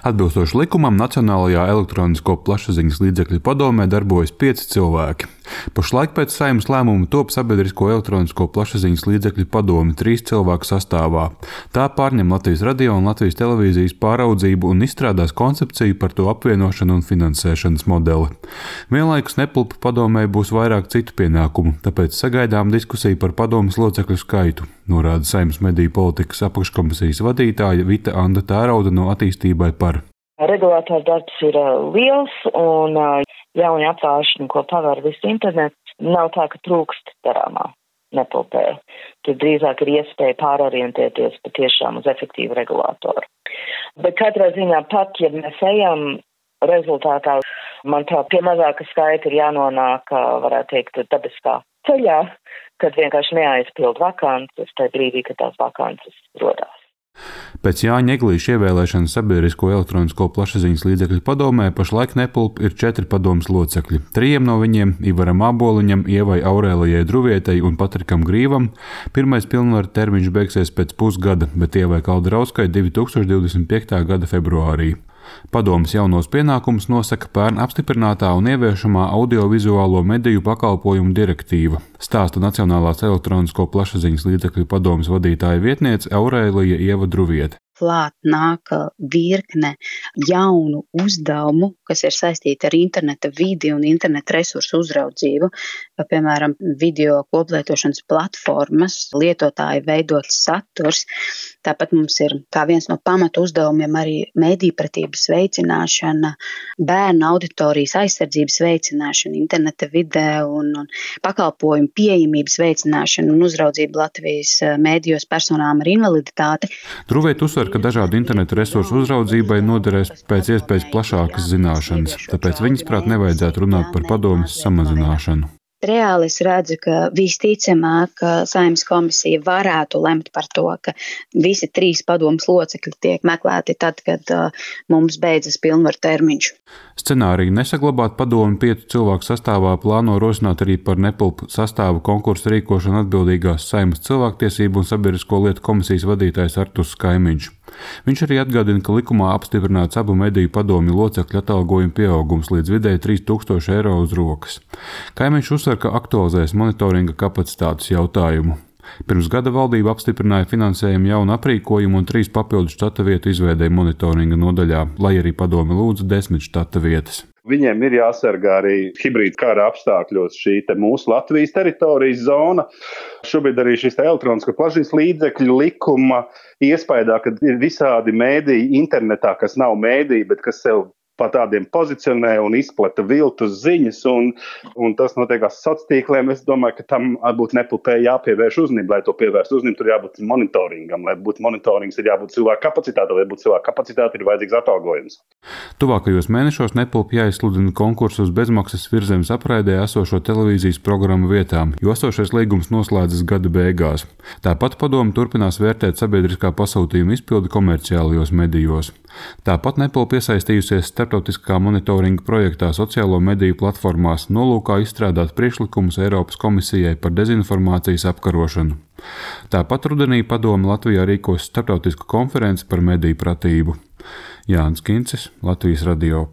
Atbilstoši likumam, Nacionālajā elektronisko plašsaziņas līdzekļu padomē darbojas 5 cilvēki. Pašlaik pēc Saeimas lēmuma top Sabiedrisko elektronisko plašsaziņas līdzekļu padome 3 cilvēku sastāvā. Tā pārņem Latvijas radio un Latvijas televīzijas pāraudzību un izstrādās koncepciju par to apvienošanu un finansēšanas modeli. Vienlaikus Nepulpa padomē būs vairāk citu pienākumu, tāpēc sagaidām diskusiju par padomes locekļu skaitu, norāda Saeimas mediju politikas apakškomisijas vadītāja Vita Anda Tērauda no Attīstībai par. Regulātora darbs ir liels un jauni apvāršņi, ko paver visu internetu. Nav tā, ka trūkst darāmā Nepulpē. Tur drīzāk ir iespēja pārorientēties patiešām uz efektīvu regulātoru. Bet katrā ziņā pat, ja mēs ejam rezultātā, manuprāt, pie mazāka skaita ir jānonāk, varētu teikt, dabiskā ceļā, kad vienkārši neaizpild vakances, tajā brīdī, kad tās vakances rodās. Pēc Jāņa Eglīša ievēlēšanas Sabiedrisko elektronisko plašsaziņas līdzekļu padomē pašlaik Nepulpa ir 4 padomes locekļi. 3 no viņiem – Ivaram Āboliņam, Ievai Aurēlijai Druvietei un Patrikam Grīvam. Pirmais pilnvaru termiņš beigsies pēc pusgada, bet Ievai Kaldrauskai 2025. gada februārī. Padomes jaunos pienākumus nosaka pērn apstiprinātā un ieviešamā audiovizuālo mediju pakalpojumu direktīva, stāsta Nacionālās elektronisko plašsaziņas līdzekļu padomes vadītāja vietniece Aurēlija Ieva Druviete. Klāt nāk virkne jaunu uzdevumu, kas ir saistīti ar interneta vidi un interneta resursu uzraudzību. Piemēram, video koplietošanas platformas, lietotāji veidots saturs. Tāpat mums ir kā viens no pamatu uzdevumiem arī medijpratības veicināšana, bērnu auditorijas aizsardzības veicināšana, interneta vidē un pakalpojumu pieejamības veicināšana un uzraudzība Latvijas mēdījos personām ar invaliditāti. Druviete uzsver, ka dažādu interneta resursu uzraudzībai noderēs pēc iespējas plašākas zināšanas, tāpēc viņas prāt nevajadzētu runāt par padomes samazināšanu. Reāli es redzu, ka visticamāk Saeimas komisija varētu lemt par to, ka visi 3 padomes locekļi tiek meklēti tad, kad mums beidzas pilnvaru termiņš. Scenāriju nesaglabāt padomi 5 cilvēku sastāvā plāno rosināt arī par Nepulpa sastāvu konkursu rīkošanu atbildīgās Saeimas cilvēktiesību un sabiedrisko lietu komisijas vadītājs Arturs Kaimiņš. Viņš arī atgādina, ka likumā apstiprināts abu mediju padomju locekļu atalgojuma pieaugums līdz vidēji 3000 eiro uz rokas. Kaimiņš uzsver, ka aktualizēs monitoringa kapacitātes jautājumu. Pirms gada valdība apstiprināja finansējumu jaunu aprīkojumu un 3 papildu štata vietu izveidēja monitoringa nodaļā, lai arī padome lūdza 10 štata vietas. Viņiem ir jāsargā arī hibrīda kara apstākļos šī mūsu Latvijas teritorijas zona. Šobrīd arī šis elektronisko plašsaziņas līdzekļu likuma iespējā, ka ir visādi mēdīji internetā, kas nav mēdīji, bet kas sev pa tādiem pozicionē un izplata viltus ziņas, un tas notiekās sociālajiem tīkliem. Es domāju, ka tam būtu Nepulpē jāpievērš uzmanību, lai to pievērst uzmanību, tur jābūt monitoringam, lai būtu monitorings, ir jābūt cilvēku kapacitāte, lai būtu cilvēku kapacitāte, ir vajadzīgs atalgojums. Tuvākajos mēnešos Nepulpa jāizsludina konkursu uz bezmaksas Virzemes apraidē esošo televīzijas programmu vietām, jo esošais līgums noslēdzas gada beigās. Tāpat padome turpinās vērtēt sabiedriskā pasūtījuma izpildi komerciālajos medijos. Tāpat Nepulpa iesaistījusies starptautiskā monitoringa projektā sociālo mediju platformās nolūkā izstrādāt priekšlikumus Eiropas komisijai par dezinformācijas apkarošanu. Tāpat rudenī padome Latvijā rīkos starptautisku konferenci par mediju pratību. Jānis Kincis, Latvijas radio.